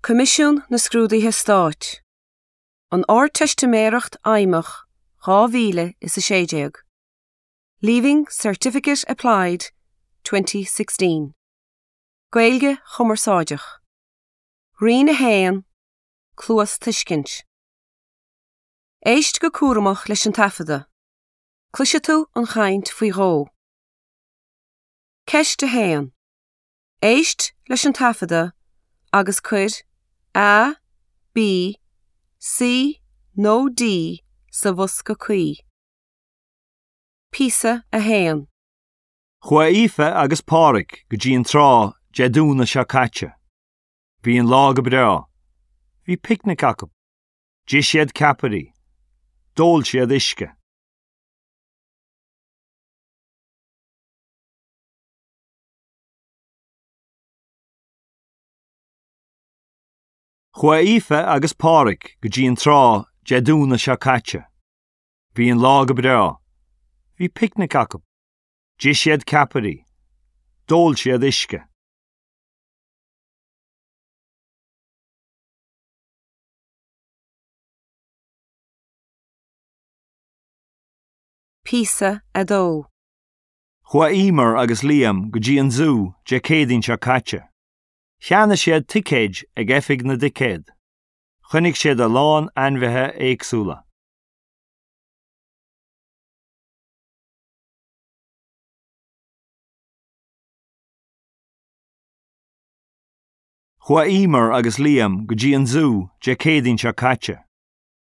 Coimisiún na Scrúduithe Stáit, An Ardteistiméireacht Fheidhmeach 2016, Leaving Certificate Applied 2016, Gaeilge Chumarsáideach, Roinn 1, Cluastuiscint. Éist go cúramach leis an taifeadadh. Cloisfidh tú an chaint faoi dhó. Ceist 1. Éist leis an taifeadadh agus cuir A, B, C nó D sa bhosca cuí. Píosa 1. Chuaigh Aoife agus Pádraig go dtí an trá Dé Domhnaigh seo caite. Bhí an lá go breá. Bhí picnic acu. D'ith siad ceapairí. D'ól siad uisce. Chuaigh Aoife agus Pádraig go dtí an trá Dé Domhnaigh seo caite. Bhí an lá go breá. Bhí picnic acu. D'ith siad ceapairí. D'ól siad uisce. Píosa 2. Chuaigh Emer agus Liam go dtí an zú Dé Céadaoin seo caite. Cheannaigh siad ticéid ag oifig na dticéad. Chonaic siad a lán ainmhithe éagsúla. Chuaigh Emer agus Liam go dtí an zú Dé Céadaoin seo caite.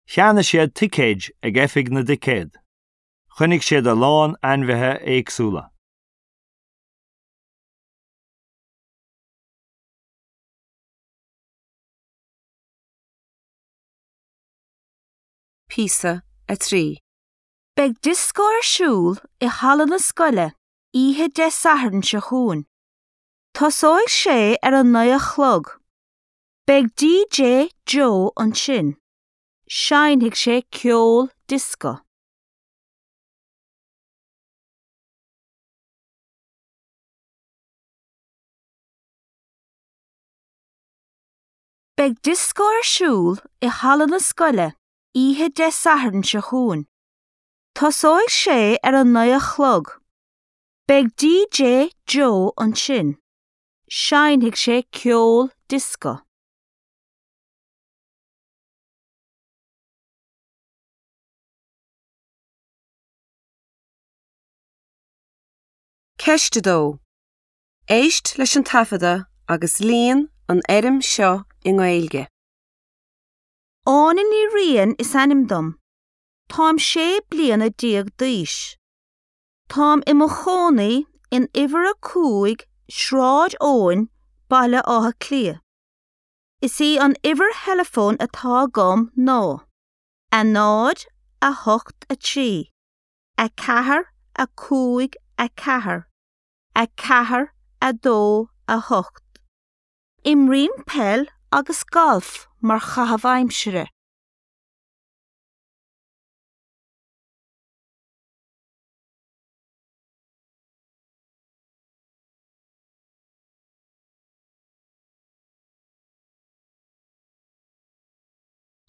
Cheannaigh siad ticéid ag oifig na dticéad. Chonaic siad a lán ainmhithe éagsúla. Píosa 3. Beidh dioscó ar siúl i halla na scoile oíche Dé Sathairn seo chugainn. Tosóidh sé ar a 9 a chlog. Beidh DJ Joe ansin. Seinnfidh sé ceol dioscó. Beidh dioscó ar siúl i halla na scoile oíche Dé Sathairn seo chugainn. Tosóidh sé ar a 9 a chlog. Beidh DJ Joe ansin. Seinnfidh sé ceol dioscó. Ceist 2. Éist leis an taifeadadh agus líon an fhoirm seo i nGaeilge. Áine Ní Riain is ainm dom. Táim 16 bliana d'aois. Táim i mo chónaí in uimhir 5 Sráid Eoin, Baile Átha Cliath. Is í an uimhir theileafóin atá agam ná, 0, 8, 3, 4, 5, 4, 4, 2, 8. Imrím peil agus galf mar chaitheamh aimsire.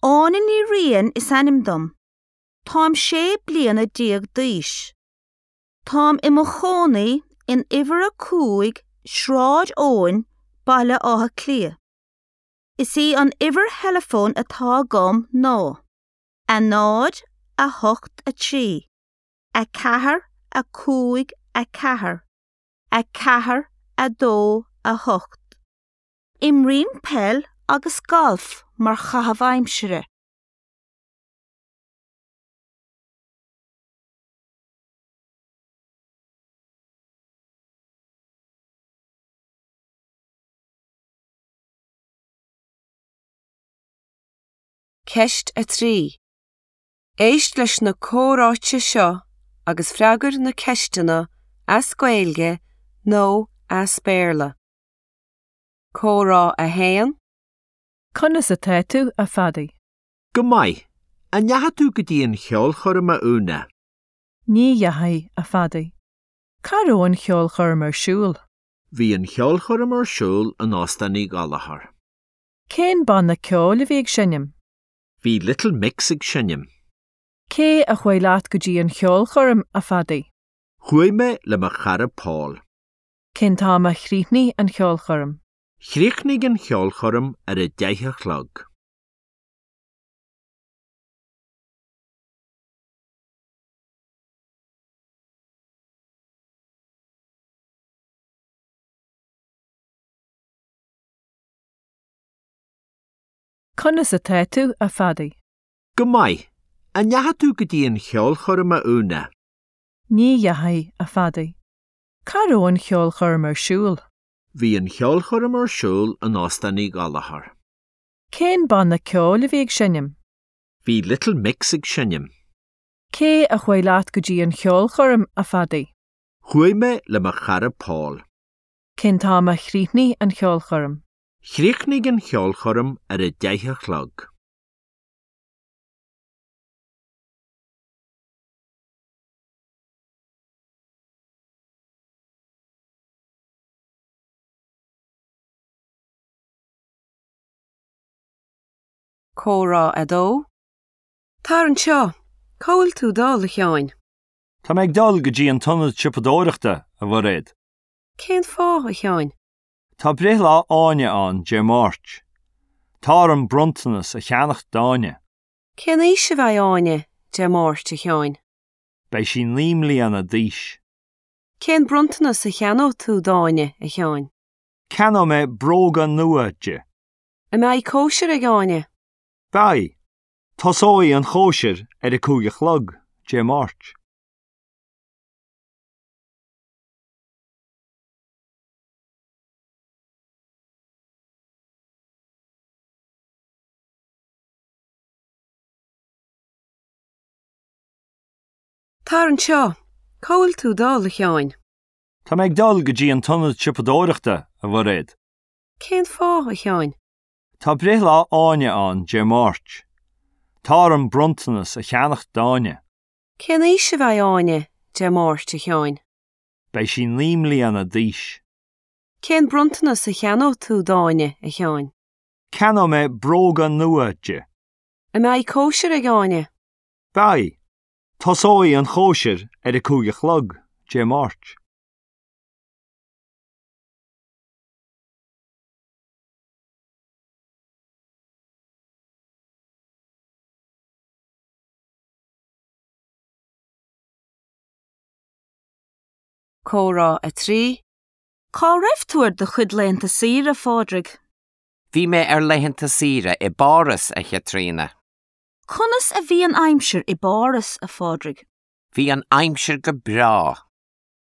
Áine Ní Riain is ainm dom. Táim 16 bliana d'aois. Táim i mo chónaí in uimhir 5 Sráid Eoin, Baile Átha Cliath. Is í an uimhir theileafóin atá agam ná, 0, 8, 3, 4, 5, 4, 4, 2, 8. Imrím peil agus galf mar chaitheamh aimsire. Ceist 3. Éist leis na comhráite seo agus freagair na ceisteanna as Gaeilge nó as Béarla. Comhrá 1. Conas atá tú, a Phadaí? Go maith. An ndeachaigh tú go dtí an cheolchoirm, a Úna? Ní dheachaigh, a Phadaí. Cá raibh an cheolchoirm ar siúl? Bhí an cheolchoirm ar siúl in Óstán Uí Ghallchóir. Cén banna ceoil a bhí ag seinm? Bhí Little Mix ag seinm. Cé a chuaigh leat go dtí an cheolchoirm, a Phadaí? Chuaigh mé le mo chara Paul. Cén t-am a chríochnaigh an cheolchoirm? Chríochnaigh an cheolchoirm ar a deich a chlog. Conas atá tú, a Phadaí? Go maith. An ndeachaigh tú go dtí an cheolchoirm, a Úna? Ní dheachaigh, a Phadaí. Cá raibh an cheolchoirm ar siúl? Bhí an cheolchoirm ar siúl in Óstán Uí Ghallchóir. Cén banna ceoil a bhí ag seinm? Bhí Little Mix ag seinm. Cé a chuaigh leat go dtí an cheolchoirm, a Phadaí? Chuaigh mé le mo chara Paul. Cén t-am a chríochnaigh an cheolchoirm? Chríochnaigh an cheolchoirm ar a deich a chlog. Comhrá 2. Tar anseo! Cá bhfuil tú dul, a Sheáin? Tá mé ag dul go dtí an t-ionad siopadóireachta, a Mhairéad. Cén fáth, a Sheáin? Tá breithlá Áine ann Dé Máirt. Tá orm bronntanas a cheannacht d'Áine. Cén aois a bheidh Áine Dé Máirt, a Sheáin? Beidh sí 9 mbliana d'aois. Cén bronntanas a cheannóidh tú d'Áine, a Sheáin? Ceannóidh mé bróga nua di. An mbeidh cóisir ag Áine? Beidh. Tosóidh an chóisir ar a cúig a chlog, Dé Máirt. Tar anseo! Cá bhfuil tú dul, a Sheáin? Tá mé ag dul go dtí an t-ionad siopadóireachta, a Mhairéad. Cén fáth, a Sheáin? Tá breithlá Áine ann Dé Máirt. Tá orm bronntanas a cheannacht d'Áine. Cén aois a bheidh Áine Dé Máirt, a Sheáin? Beidh sí 9 mbliana d'aois. Cén bronntanas a cheannóidh tú d'Áine, a Sheáin? Ceannóidh mé bróga nua di. An mbeidh cóisir ag Áine? Beidh. Tosóidh an chóisir ar a cúig a chlog, Dé Máirt. Comhrá 3. Cá raibh tú ar do chuid laethanta saoire, a Phádraig? Bhí mé ar laethanta saoire i bPáras, a Chaitríona. Conas a bhí an aimsir i bPáras, a Phádraig? Bhí an aimsir go breá.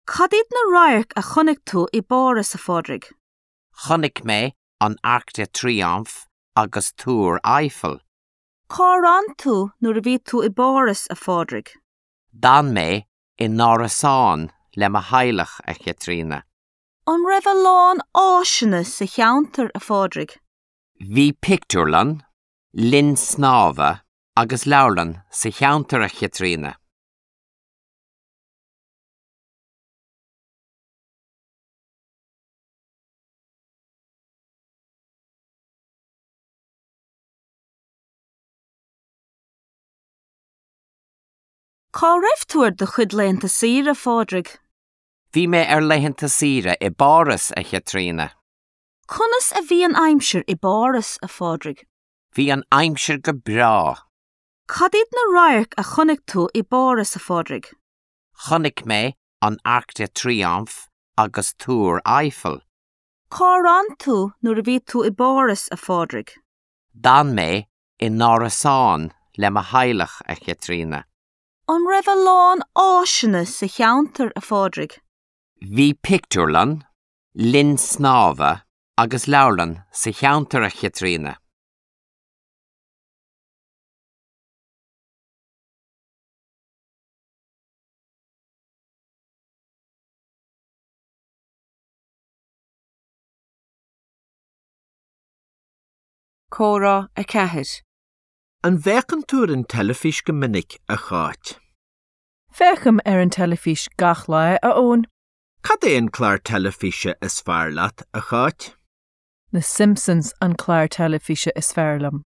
Cad iad na radhairc a chonaic tú i bPáras, a Phádraig? Chonaic mé an Arc de Triomphe agus Túr Eiffel. Cár fhan tú nuair a bhí tú i bPáras, a Phádraig? D'fhan mé in árasán le mo theaghlach, a Chaitríona. An raibh a lán áiseanna sa cheantar, a Phádraig? Bhí pictiúrlann, linn snámha agus leabharlann sa cheantar, a Chaitríona. Cá raibh tú ar do chuid laethanta saoire, a Phádraig? Bhí mé ar laethanta saoire i bPáras, a Chaitríona. Conas a bhí an aimsir i bPáras, a Phádraig? Bhí an aimsir go breá. Cad iad na radhairc a chonaic tú i bPáras, a Phádraig? Chonaic mé an Arc de Triomphe agus Túr Eiffel. Cár fhan tú nuair a bhí tú i bPáras, a Phádraig? D'fhan mé in árasán le mo theaghlach, a Chaitríona. An raibh a lán áiseanna sa cheantar, a Phádraig? Bhí pictiúrlann, linn snámha agus leabharlann sa cheantar, a Chaitríona. Comhrá 4. An bhféachann tú ar an teilifís go minic, a Cháit? Féachaim ar an teilifís gach lá, a Eoin. Cad é an clár teilifíse is fearr leat, a Cháit? Na Simpsons an clár teilifíse is fearr liom.